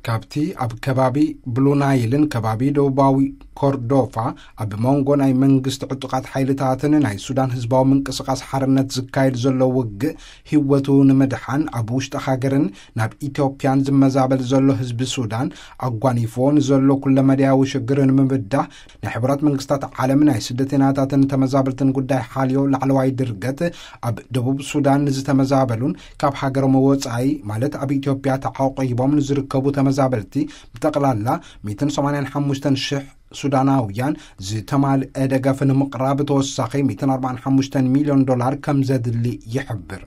ካብቲ ኣብ ከባቢ ብሉ ናይልን ከባቢ ደቡባዊ ኮርዶፋ ኣብ መንጎ ናይ መንግስቲ ዕጡቓት ሓይልታትን ናይ ሱዳን ህዝባዊ ምንቅስቓስ ሓርነት ዝካየድ ዘሎ ውግእ ህይወቱ ንምድሓን ኣብ ውሽጢ ሃገርን ናብ ኢትዮጵያን ዝመዛበል ዘሎ ህዝቢ ሱዳን ኣጓኒፍዎ ንዘሎ ኩለመዳያዊ ሽግር ንምብዳህ ናይ ሕቡራት መንግስታት ዓለም ናይ ስደተኛታትን ተመዛበልትን ጉዳይ ሓልዮ ላዕለዋይ ድርገት ኣብ ደቡብ ሱዳን ንዝተመዛበሉን ካብ ሃገሮም ወጻኢ ማለት ኣብ ኢትዮጵያ ተዓቂቦም ንዝርከቡ ተመዛበልቲ ብጠቕላላ ሚእትን ሰማንያን ሓሙሽተን ሽሕ ሱዳናውያን ዝተማልአ ደገፍ ንምቕራብ ተወሳኺ ሚእትን ኣርባዓን ሓሙሽተን ሚልዮን ዶላር ከም ዘድሊ ይሕብር።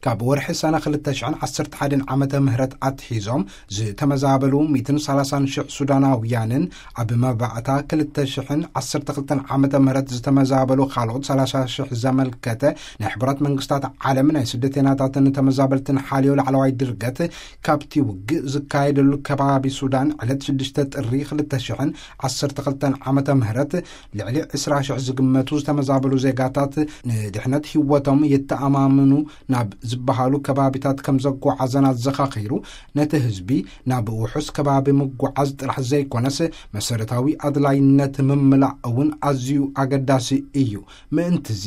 ካብ ወርሒ ሰነ ክልተ ሽሕን ዓሰርተ ሓደን ዓመተ ምህረት ኣትሒዞም ዝተመዛበሉ ሚእትን ሰላሳን ሽሕ ሱዳናውያንን ኣብ መባእታ ክልተ ሽሕን ዓሰርተ ክልተን ዓመተ ምህረት ዝተመዛበሉ ካልኦት ሰላሳ ሽሕ ዘመልከተ ናይ ሕቡራት መንግስታት ዓለም ናይ ስደተኛታትን ተመዛበልትን ሓልዮ ላዕለዋይ ድርገት ካብቲ ውግእ ዝካየደሉ ከባቢ ሱዳን ዕለት ሽዱሽተ ጥሪ ክልተ ሽሕን ዓሰርተ ክልተን ዓመተ ምህረት ልዕሊ ዕስራ ሽሕ ዝግመቱ ዝተመዛበሉ ዜጋታት ንድሕነት ህይወቶም የተኣማምኑ ናብ ዝበሃሉ ከባቢታት ከም ዘጓዓዘን ኣዘኻኺሩ፣ ነቲ ህዝቢ ናብ ውሑስ ከባቢ ምጉዓዝ ጥራሕ ዘይኮነስ መሰረታዊ ኣድላይነት ምምላእ እውን ኣዝዩ ኣገዳሲ እዩ። ምእንትዚ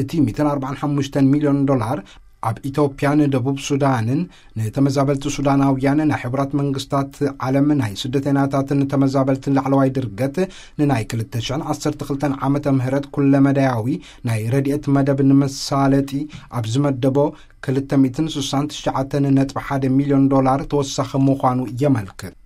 እቲ ሚእትን ኣርባዓን ሓሙሽተን ሚልዮን ዶላር ኣብ ኢትዮጵያን ደቡብ ሱዳንን ንተመዛበልቲ ሱዳናውያን ናይ ሕቡራት መንግስታት ዓለም ናይ ስደተኛታትን ተመዛበልትን ላዕለዋይ ድርገት ንናይ ክልተ ሽሕን ዓሰርተ ክልተን ዓመተ ምህረት ኩለመዳያዊ ናይ ረድኤት መደብ ንመሳለጢ ኣብ ዝመደቦ ክልተ ሚእትን ስሳን ትሽዓተን ነጥቢ ሓደ ሚልዮን ዶላር ተወሳኺ ምዃኑ የመልክት።